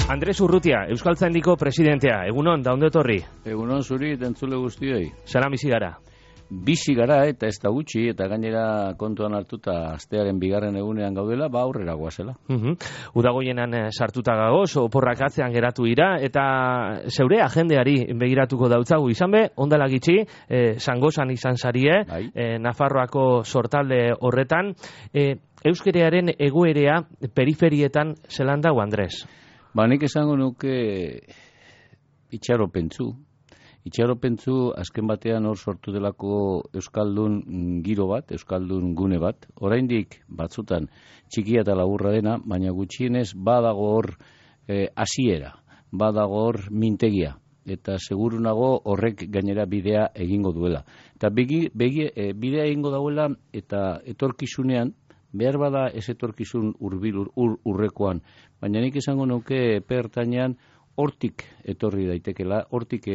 Andres Urrutia, Euskaltzaindiko presidentea. Egunon, da ondo etorri? Egunon zuri, entzule guztioi. Zara bizi gara? Bizi gara eta ez da gutxi, eta gainera kontuan hartuta astearen bigarren egunean gaudela, aurrera goazela. Udagoienan sartuta gagoz, oporrak atzean geratu ira, eta zeure agendeari begiratuko dautzagu izan be, ondala gitxi, Zangozan izan zarie, Nafarroako sortalde horretan, euskerearen egoerea periferietan zelan dago, Andres? Nik esango nuke itxaropentzu azken batean hor sortu delako euskaldun giro bat, euskaldun gune bat, oraindik batzutan txikia eta laburra dena, baina gutxienez badago hor hasiera, badago hor mintegia, eta seguru nago horrek gainera bidea egingo duela. Eta bidea egingo dauela eta etorkizunean, behar bada ez etorkizun urrekoan, baina nik esango nuke pertainean hortik etorri daitekela, hortik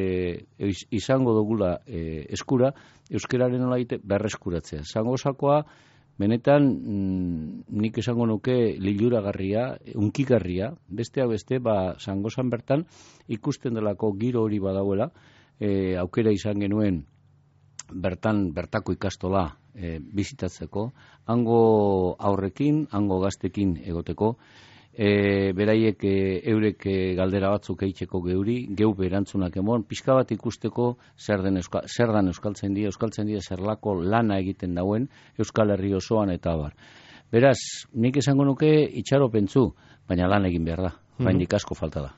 izango dugula eskura, euskeraren nolaite berreskuratzea. Zangozakoa, benetan nik esango nuke liluragarria, unkigarria, besteak beste, Zangozan bertan ikusten delako giro hori badauela, aukera izan genuen bertako ikastola bizitatzeko, hango aurrekin, hango gaztekin egoteko, beraiek eurek galdera batzuk eitzeko geu berantzunak emon, pixka bat ikusteko zer dan Euskaltzaindia zerlako lana egiten dauen Euskal Herri osoan eta abar. Beraz, nik esango nuke itxaropentzu, baina lan egin behar da. Baindik asko falta da.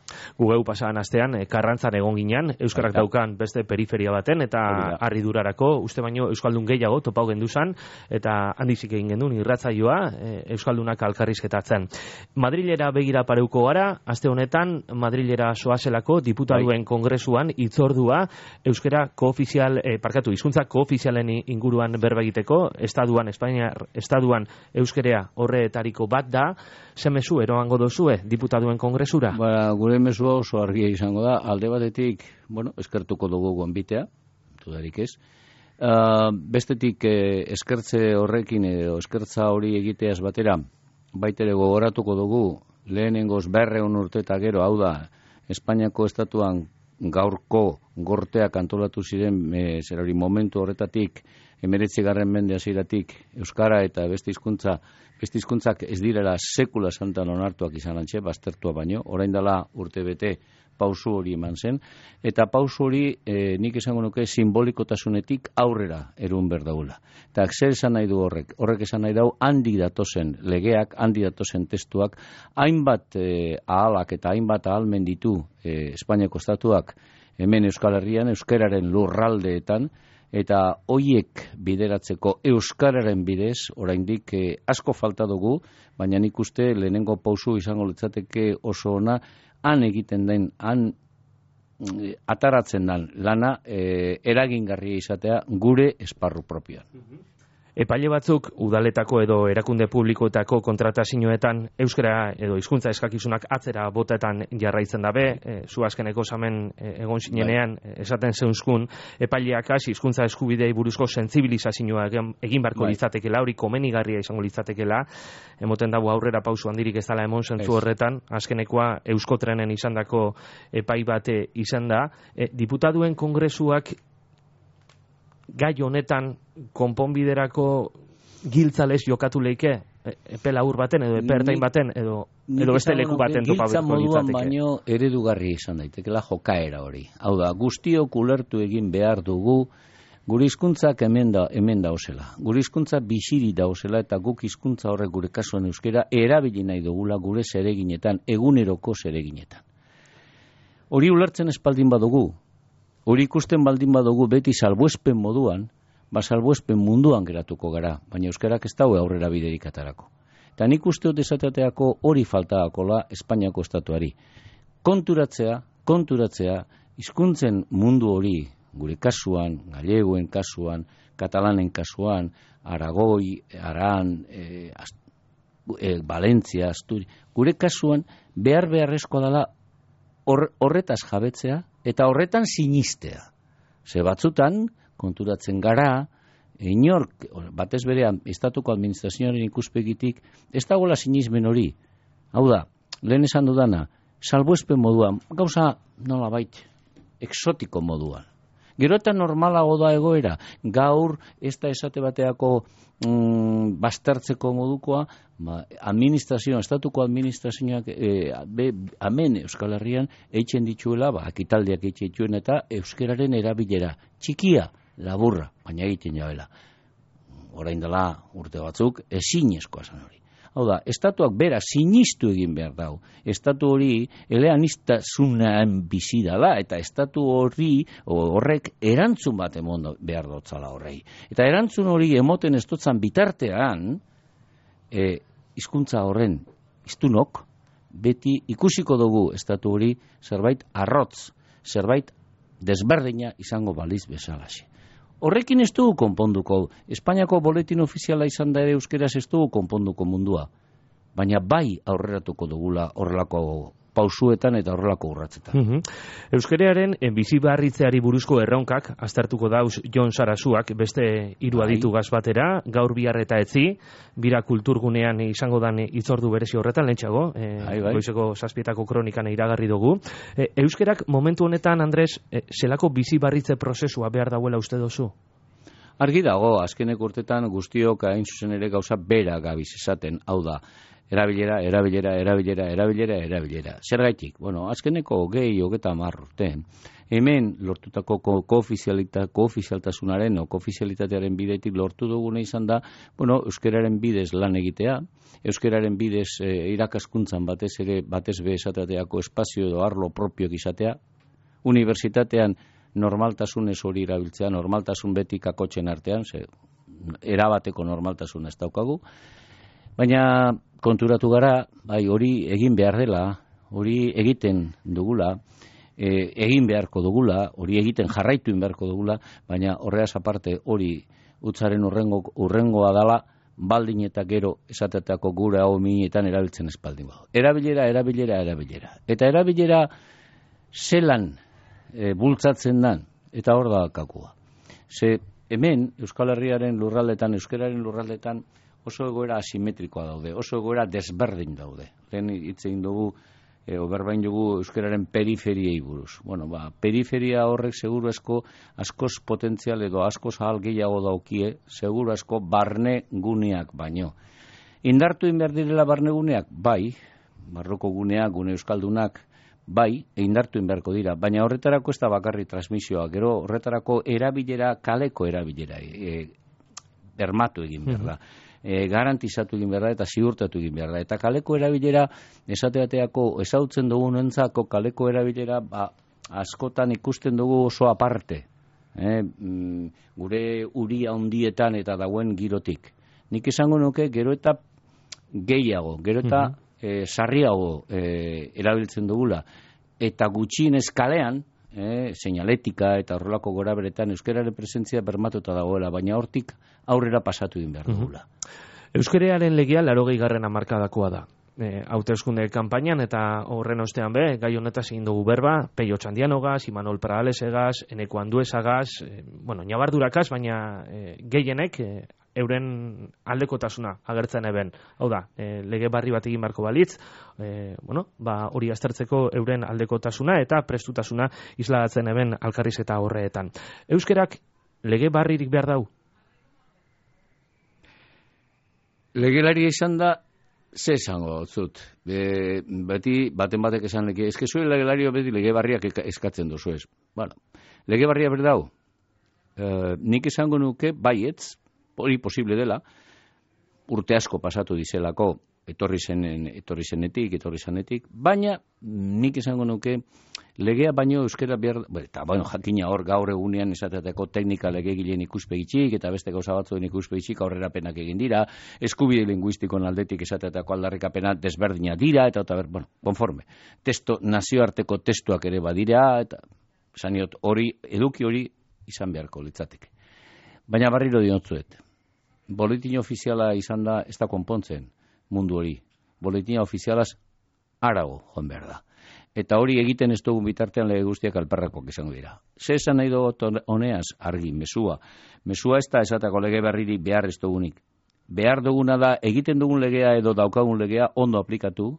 Gugeu pasadan astean, Karrantzan egon ginen, euskarak daukan beste periferia baten, eta harridurarako, uste baino euskaldun gehiago topau genduzan, eta handizik egin gendun irratzaioa, euskaldunak alkarrizketatzen. Madrilera begira pareuko gara, aste honetan, Madrilera soazelako diputaduen kongresuan itzordua, euskera hizkuntza koofizialen inguruan berba egiteko, Espainiar estatuan euskerea horretariko bat da, ze mezu eroango dozue diputaduen kongresura? Gure mesua oso argia izango da, alde batetik, eskertuko dugu gonbitea, dudarik ez. Bestetik eskertze horrekin edo eskertza hori egiteaz batera, baitere gogoratuko dugu, lehenengoz 200 urte eta gero, hau da, Espainiako estatuan gaurko gorteak antolatu ziren zerari momentu horretatik, 19. mende hasieratik euskara eta beste hizkuntzak ez direla sekula santan onartuak izan antxe, baztertua baino, orain dela urte bete pausu hori eman zen, eta pausu hori nik esango nuke simbolikotasunetik aurrera erun berdaula. Eta zer esan nahi du horrek? Horrek esan nahi dau handi datozen legeak, handi datozen testuak, hainbat ahalak eta hainbat ahalmen ditu Espainiako estatuak hemen Euskal Herrian, euskararen lurraldeetan, eta hoiek bideratzeko euskararen bidez, oraindik asko falta dugu, baina nik uste lehenengo pausu izango litzateke oso ona, han egiten den, han ataratzen den lana eragingarria izatea gure esparru propioan. Epaile batzuk udaletako edo erakunde publikoetako kontratazioetan euskara edo hizkuntza eskakizunak atzera botetan jarraitzen dabe, zu azkeneko zamen egon zinenean esaten zeunzkun, epaileak hizkuntza eskubidei buruzko sentsibilizazioa egin barko litzatekela, hori komenigarria izango litzatekela, emoten dago aurrera pausu handirik ez dela emon zentzu horretan, azkenekoa Euskotrenen izandako epai bate izan da, diputaduen kongresuak gai honetan konponbiderako giltzalez jokatu leike epe labur baten edo epe ertain baten edo beste leku baten topatuko litzateke. Giltza moduan baino eredugarri izan daitekela jokaera hori. Hau da, guztiok ulertu egin behar dugu gure hizkuntzak hemen dauzela. Gure hizkuntza biziri dauzela eta guk hizkuntza horrek gure kasuan euskera erabili nahi dugula gure zereginetan, eguneroko zereginetan. Hori ulertzen espaldin badugu, hori ikusten baldin badugu beti salbuespen moduan, salbuespen munduan geratuko gara, baina euskarak ez daue aurrera biderik atarako. Eta nik uste dut esateako hori faltaakola Espainiako estatuari. Konturatzea, hizkuntzen mundu hori, gure kasuan, gallegoen kasuan, katalanen kasuan, Aragoi, Aran, Valentzia, Asturi, gure kasuan beharrezkoa dela horretaz jabetzea, eta horretan sinistea. Ze batzutan, konturatzen gara, inork, batez berean, estatuko administrazioaren ikuspegitik, ez dagoela sinismen hori. Hau da, lehen esan dudana, salbuespen moduan, gauza nolabait exotiko moduan. Gero eta normalago da egoera, gaur ez da esate bateako baztertzeko modukoa, administrazioa, estatuko administrazioak hemen Euskal Herrian eitzen dituela, ekitaldiak eitzen dituen eta euskeraren erabilera, txikia, laburra, baina egiten jabela. Orain dela urte batzuk, ezinezkoa zen hori. Hau da, estatuak bera sinistu egin behar dau. Estatu hori eleanistasunan bizi dela, eta estatu horrek erantzun bat emon behar dotzala horrei. Eta erantzun hori emoten ez dotzan bitartean, hizkuntza horren hiztunok, beti ikusiko dugu estatu hori zerbait arrotz, zerbait desberdina izango baliz bezalaxe. Horrekin ez dugu konponduko. Espainiako boletin ofiziala izan da ere euskeraz ez dugu konponduko mundua. Baina bai aurreratuko dugula horrelako pausuetan eta horrelako urratzetan. Euskararen bizibarritzeari buruzko erronkak aztertuko dauz Jon Sarasuak beste hiru aditu gaz batera, gaur bihar eta etzi, bira kulturgunean izango dan hitzordu berezi horretan lehentxago, goizeko 7:00 kronikan iragarri dugu. Euskerak momentu honetan, Andres, zelako bizibarritze prozesua behar dauela uste dozu? Argi dago, azkenek urtetan guztiok hain zuzen ere gauza bera gabiz esaten, hau da, erabilera. Zergaitik? Bueno, azkeneko 20-30 urte, hemen lortutako koofizialtasunaren o koofizialitatearen bidetik lortu duguna izan da, bueno, euskeraren bidez lan egitea, euskeraren bidez irakaskuntzan batez be esateako espazio edo arlo propioak izatea, unibertsitatean normaltasunez hori erabiltzea, normaltasun beti kakotzen artean, erabateko normaltasun ez daukagu, baina konturatu gara, hori egin behar dela, hori egiten dugula, egin beharko dugula, hori egiten jarraitu beharko dugula, baina horreaz aparte hori utzaren urrengoa dala, baldin eta gero esatetako gure hau minetan erabiltzen espaldin. Erabilera. Eta erabilera zelan bultzatzen dan, eta hor da kakua. Ze hemen Euskal Herriaren lurraldetan, euskararen lurraldetan, oso egoera asimetrikoa daude, oso egoera desberdin daude. Lehen hitz egin dugu, berbain dugu euskararen periferiei buruz. Bueno, periferia horrek seguru askoz potentzial edo askoz ahal gehiago daukie, seguru asko barne guneak baino. Indartu behar direla barne guneak? Bai, barroko guneak, gune euskaldunak, bai, indartu beharko dira, baina horretarako ez da bakarri transmisioa, gero horretarako erabilera, kaleko erabilera, bermatu egin behar da. Garantizatu egin behar da eta ziurtatu egin behar da. Eta kaleko erabilera, esateateako ezautzen dugunentzako kaleko erabilera, askotan ikusten dugu oso aparte. Gure uria handietan eta dauen girotik. Nik esango nuke gero eta gehiago, gero eta sarriago erabiltzen dugula. Eta gutxienez kalean, seinaletika eta horrelako goraberetan euskararen presentzia bermatuta dagoela, baina hortik aurrera pasatu egin behar dugula. Euskararen legea 80. hamarkadakoa da. Hauteskunde kanpainan eta horren ostean gai honetaz egin dugu berba, Peio Txandianogaz, Imanol Paralesegaz, Eneko Anduezagaz, ñabardurakaz, baina gehienek euren aldekotasuna agertzen eben. Hau da, lege barri bat egin beharko balitz, hori aztertzeko euren aldekotasuna eta prestutasuna isladatzen eben alkarriz eta horreetan. Euskerak lege barririk behar dau? Legelaria izan da, ze esango zut. Beti baten batek esan lege, eske zuen legelario beti lege barriak eskatzen duzu ez. Bueno, lege barria berdau, nik esango nuke baietz, hori posible dela, urte asko pasatu dizelako, etorri zenetik, baina nik esango nuke legea baino euskera behar, eta jakina hor gaur egunean esatetako teknika legegileen ikuspegitxik eta beste gauza batzuen ikuspegitxik aurrerapenak egin dira, eskubide linguistikon aldetik esatetako aldarrikapena desberdina dira, eta konforme. Nazioarteko testuak ere badira, eta saniot eduki hori izan beharko litzateke. Baina barriro diotzuet, boletin ofiziala izan da ez da konpontzen mundu hori. Boletin ofizialaz arago joan behar da. Eta hori egiten ez dugun bitartean lege guztiak alperrakoak izango dira. Ze esan nahi dugu honeaz argi, mesua. Mesua ez da esatako lege berririk behar ez dugunik. Behar duguna da egiten dugun legea edo daukagun legea ondo aplikatu,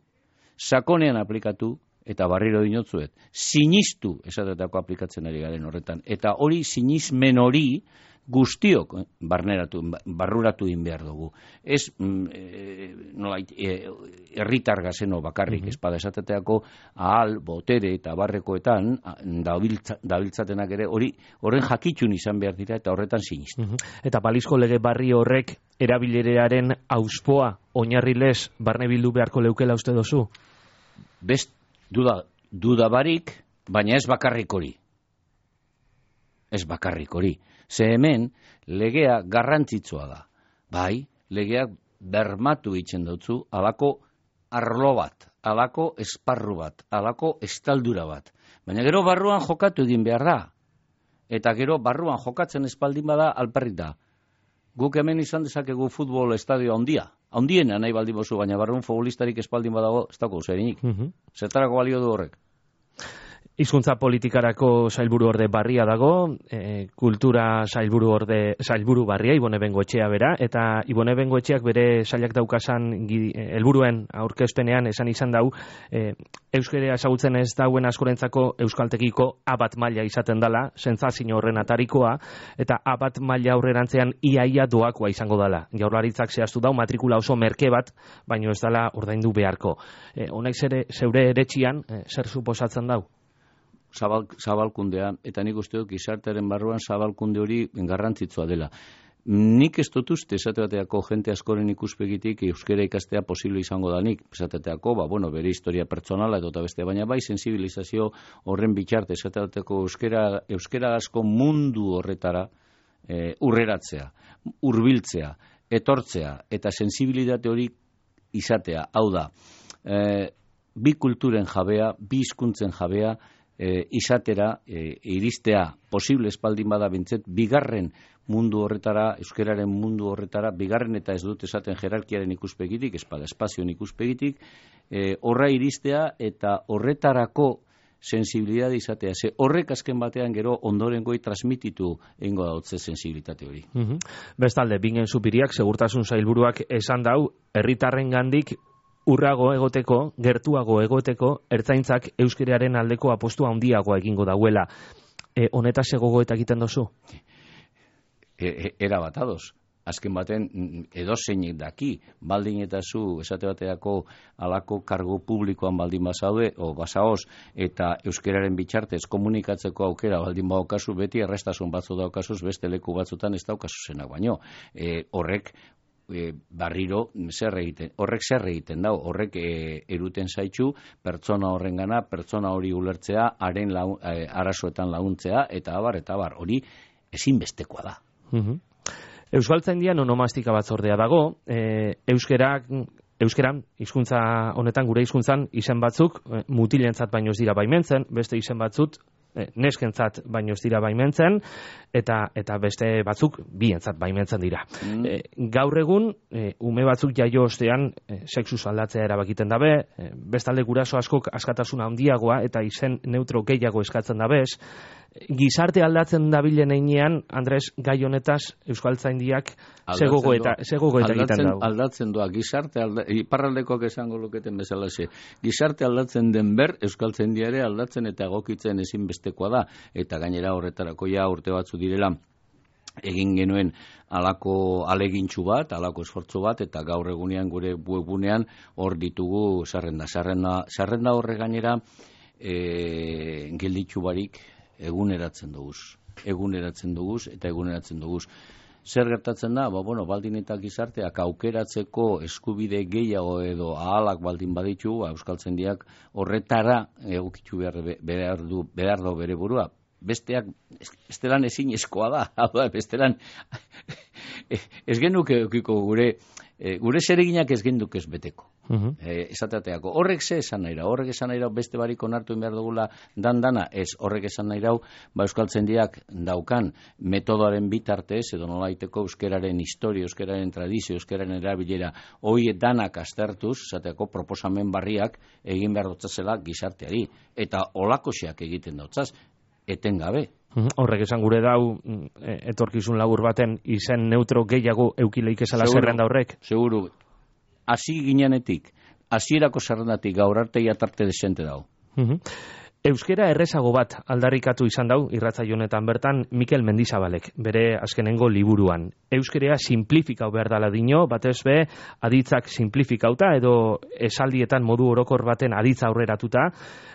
sakonean aplikatu, eta barriro dinotzuet, sinistu esatetako aplikatzen ari garen horretan. Eta hori sinismen hori guztiok barruratu egin behar dugu. Ez herritar gazeno bakarrik, espada esateteako ahal, botere eta barrekoetan dabiltzatenak ere horren jakitxun izan behar dira eta horretan sinistu. Eta balizko lege barri horrek erabilerearen auspoa oinarrilez barne bildu beharko leukela uste dozu? Best duda barik, baina ez bakarrik hori. Ez bakarrik hori. Ze hemen legea garrantzitsua da. Bai, legeak bermatu itzen dutzu alako arlo bat, alako esparru bat, alako estaldura bat. Baina gero barruan jokatu egin behar da. Eta gero barruan jokatzen espaldin bada alperrik da. Guk hemen izan dezakegu futbol estadio handia. Handiena nahi baldin bozu, baina barruan futbolistarik espaldin badago, ez dago zerinik. Zertarako balio du horrek. Hizkuntza politikarako sailburu orde barria dago, kultura sailburu barria Ibone Bengoetxea bera, eta Ibone Bengoetxeak bere sailak daukasan helburuen aurkezpenean esan izan dau, euskera ezagutzen ez dauen askorentzako euskaltekiko A1 maila izaten dela, sentsazio horren atarikoa, eta A1 maila aurrerantzean iaia doakoa izango dela. Jaurlaritzak zehaztu dau matrikula oso merke bat, baino ez dela ordaindu beharko. Honek zeure eretxian, zer suposatzen dau? Zabalkundea, eta nik uste dut gizartearen barruan zabalkunde hori garrantzitsua dela. Nik ez dut uste esateateako jente askoren ikuspegitik euskera ikastea posible izango da nik. Esateateako, bere historia pertsonala eta beste, baina bai sensibilizazio horren bitxarte esateateako euskera asko mundu horretara urreratzea, hurbiltzea, etortzea eta sensibilitate hori izatea. Hau da, bi kulturen jabea, bi hizkuntzen jabea, izatera, iristea posible espaldin bada bintzet, bigarren mundu horretara, euskeraren mundu horretara, bigarren eta ez dut esaten jerarkiaren ikuspegitik, espada espazioen ikuspegitik, horra iristea eta horretarako sensibilidade izatea. Ze horrek azken batean gero ondorengoi transmititu egingo dautze sensibilitate hori. Bestalde, Bingen Zupiriak, segurtasun sailburuak esan dau, herritarrengandik urrago egoteko, gertuago egoteko, ertzaintzak euskeraren aldeko apostua handiagoa egingo dauela. Honetaz gogoeta egiten dozu? Era bat ados. Azken baten edozeinek daki, baldin eta zu esate bateako alako kargu publikoan baldin bazaude, o bazaoz, eta euskeraren bitxartez komunikatzeko aukera baldin badaukazu, beti errestasun batzu daukazuz, beste leku batzutan ez daukazu zenak baino. Horrek barriro horrek zer egiten dau, horrek eruten zaitu pertsona horrengana, pertsona hori ulertzea, haren arazoetan laguntzea, eta abar, hori ezinbestekoa da. Euskaltzaindian onomastika batzordea dago, euskeran, hizkuntza honetan gure hizkuntzan izen batzuk mutilentzat baino ez dira baimentzen, beste izen batzuk neskentzat baino ez dira baimentzen, eta beste batzuk bientzat baimentzen dira. Gaur egun, ume batzuk jaio ostean sexuz aldatzea erabakiten dabe, bestalde guraso askok askatasuna handiagoa eta izen neutro gehiago eskatzen dabez. Gizarte aldatzen dabilen einean, Andres, gai honetaz Euskaltzaindiak segogoeta egiten dago. Aldatzen doa, gizarte iparraldekoak esango luketen bezalaxe. Gizarte aldatzen den ber, Euskaltzaindia ere aldatzen eta egokitzen ezinbestekoa da, eta gainera horretarako ja urte batzu direla egin genuen alako alegintxu bat, alako esfortzu bat, eta gaur egunean gure webgunean hor ditugu zerrenda horre gainera gelditxu barik eguneratzen duguz. Zer gertatzen da? Baldin eta gizarteak aukeratzeko eskubide gehiago edo ahalak baldin baditu, Euskaltzaindiak horretara egokitu behar du bere burua. Bestelan ezin eskoa da. Bestelan ez genuke eukiko gure zereginak ez genduk ez beteko. Esateateako, horrek ze esan nahi rau, beste barik onartu behar dugula dana, ez horrek esan nahi rau, Euskaltzaindiak daukan metodoaren bitartez, edo nolaiteko euskeraren historia, euskeraren tradizio, euskeraren erabilera, hoi danak aztertuz, esateako proposamen barriak egin behar dutzazela gizarteari, eta olakoxeak egiten dautzaz, etengabe. Horrek esan gure dau, etorkizun labur baten izen neutro gehiago eukileik esala zerrenda horrek? Seguru. Hasi ginenetik, hasierako zerrendatik gaur arte jatarte desente dago. Euskera errezago bat aldarrikatu izan dau irratsaio honetan bertan Mikel Mendizabalek bere azkenengo liburuan. Euskera simplifikau behar dala dino, batez be aditzak simplifikauta edo esaldietan modu orokor baten aditza aurreratuta,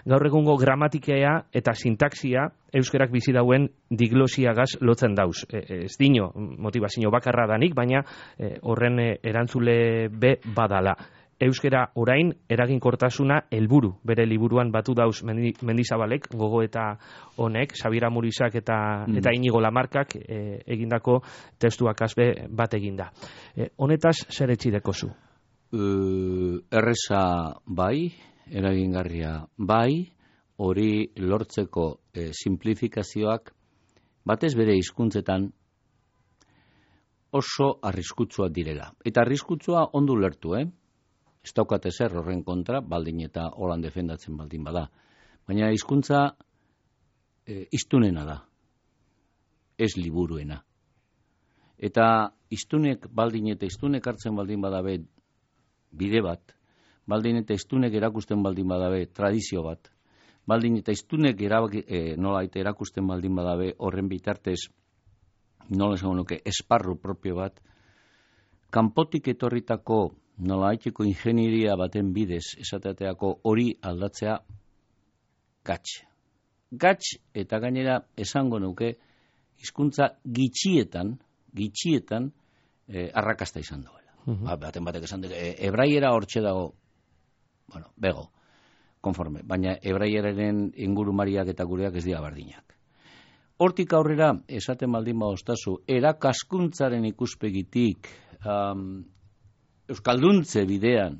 gaur egungo gramatikea eta sintaxia euskerak bizi dauen diglosiagaz lotzen dauz. Ez dino motivazio bakarra danik, baina horren erantzule be badala. Euskera orain eraginkortasuna helburu bere liburuan batu dauz Mendizabalek, gogoeta honek, Xabier Amurizak eta Inigo Lamarkak egindako testuak azbe bat eginda. Honetaz zer etxidekozu? Erreza bai, eragingarria bai, hori lortzeko simplifikazioak batez bere hizkuntzetan oso arriskutsuak direla. Eta arriskutsua ondo lertu, Ez daukate zer horren kontra, baldin eta holan defendatzen baldin bada. Baina hizkuntza hiztunena da, ez liburuena. Eta hiztunek baldin eta hiztunek hartzen baldin badabe bide bat, baldin eta hiztunek erakusten baldin badabe tradizio bat, baldin eta hiztunek erakusten baldin badabe horren bitartez, nola esango nuke, esparru propio bat, kanpotik etorritako nola haiteko ingenieria baten bidez esateateako hori aldatzea gatz. Gatz eta gainera esango nuke hizkuntza gitxietan arrakasta izan duela. Baten batek esan dut, hebraiera hortxe dago, bego, konforme, baina hebraieraren ingurumariak eta gureak ez dira berdinak. Hortik aurrera, esaten baldin badostazu, erakaskuntzaren ikuspegitik, euskalduntze bidean,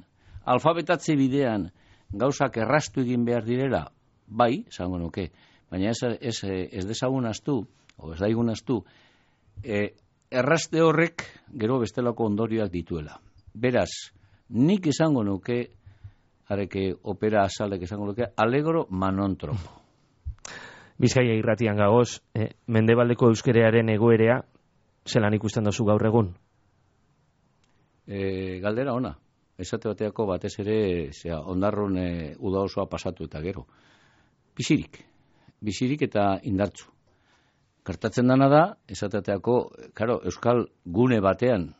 alfabetatze bidean, gauzak errastu egin behar direla, bai, esango nuke, baina ez dezagun astu, o ez daigun astu, erraste horrek gero bestelako ondorioak dituela. Beraz, nik esango nuke, areke opera azalek esango nuke, alegro manontropo. Bizkaia irratian gagoz, mendebaldeko euskerearen egoerea, zelan ikusten dozu gaur egun? Galdera ona. Esate bateako batez ere ondarron uda osoa pasatu eta gero. Bizirik eta indartzu. Gertatzen dana da, esateateako, euskal gune batean,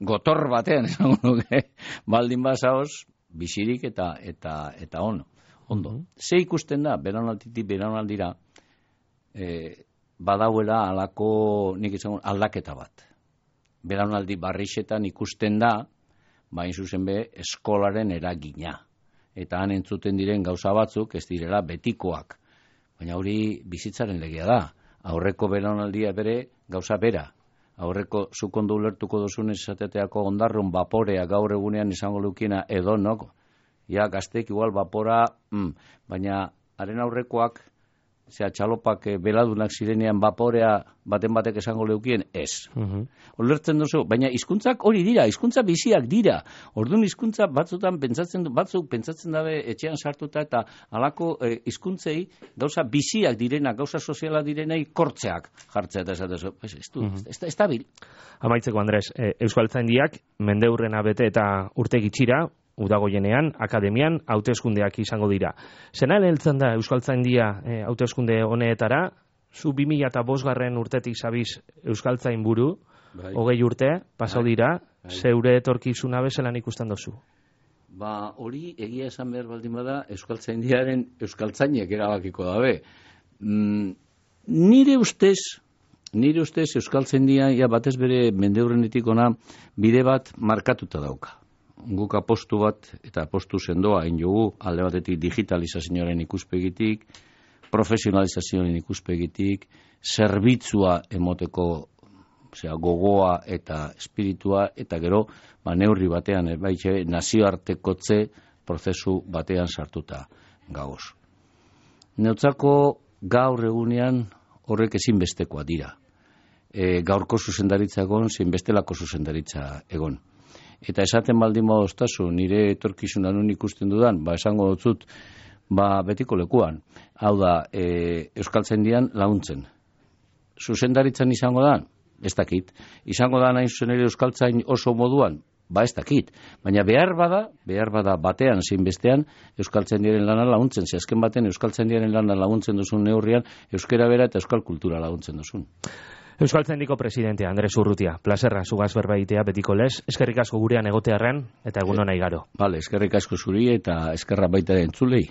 gotor batean, esango nuke, baldin bazaoz, bizirik eta ondo. Ze ikusten da, beranalditik beranaldira, badauela alako, nik izango, aldaketa bat. Belaunaldi barrixetan ikusten da, bain zuzen be, eskolaren eragina. Eta han entzuten diren gauza batzuk, ez direla betikoak. Baina hori bizitzaren legea da. Aurreko belaunaldia bere, gauza bera. Aurreko zukondo ulertuko dozunez esateteako ondarrun vaporea gaur egunean izango lukiena edonok. Ja, gaztek igual vapora, baina haren aurrekoak, txalopak beladunak zirenean vaporea baten batek esango leukien, ez. Olertzen duzu, baina hizkuntzak hori dira, hizkuntza biziak dira. Orduan hizkuntza batzuk pentsatzen dabe etxean sartuta eta halako hizkuntzei gauza biziak direnak, gauza sozialak direnei kortzeak jartzea eta esatezu. Ez da bil. Amaitzeko, Andres, Euskaltzaindiak mendeurrena bete eta urte gitxira, udagoienean, akademian, hauteskundeak izango dira. Zenan heltzen da Euskaltzaindia hauteskunde honetara, zu 2005 urtetik zabiz Euskaltzain buru, 20 urte, pasau dira, zeure etorkizuna bezelan ikusten dozu? Hori egia esan behar baldin bada, Euskaltzaindiaren Euskaltzainek erabakiko dabe. Nire ustez Euskaltzaindia batez bere mendeurrenetik ona bide bat markatuta dauka. Guk apostu bat eta apostu sendoa egin jogu, alde batetik digitalizazioaren ikuspegitik, profesionalizazioaren ikuspegitik, zerbitzua emoteko gogoa eta espiritua, eta gero neurri batean, nazioartekotze prozesu batean sartuta gagoz. Neutzako gaur egunean horrek ezinbestekoa dira. Gaurko zuzendaritza egon, zinbestelako zuzendaritza egon. Eta esaten baldin badoztazu, nire etorkizunan nun ikusten dudan, esango dutzut, betiko lekuan. Hau da, Euskaltzaindian laguntzen. Zuzendaritzan izango da? Ez dakit. Izango da nahi zuzen ere Euskaltzain oso moduan? ba ez dakit. Baina behar bada batean zein bestean euskaltzaindiaren lana laguntzen. Ze azken baten euskaltzaindiaren lana laguntzen duzun neurrian euskera bera eta euskal kultura laguntzen duzun. Euskaltzaindiko presidentea Andres Urrutia, plaserra zugaz berbaitea betiko lez, eskerrik asko gurean egotearren eta egun ona igaro. Vale, eskerrik asko zuri eta eskerra baita entzulei.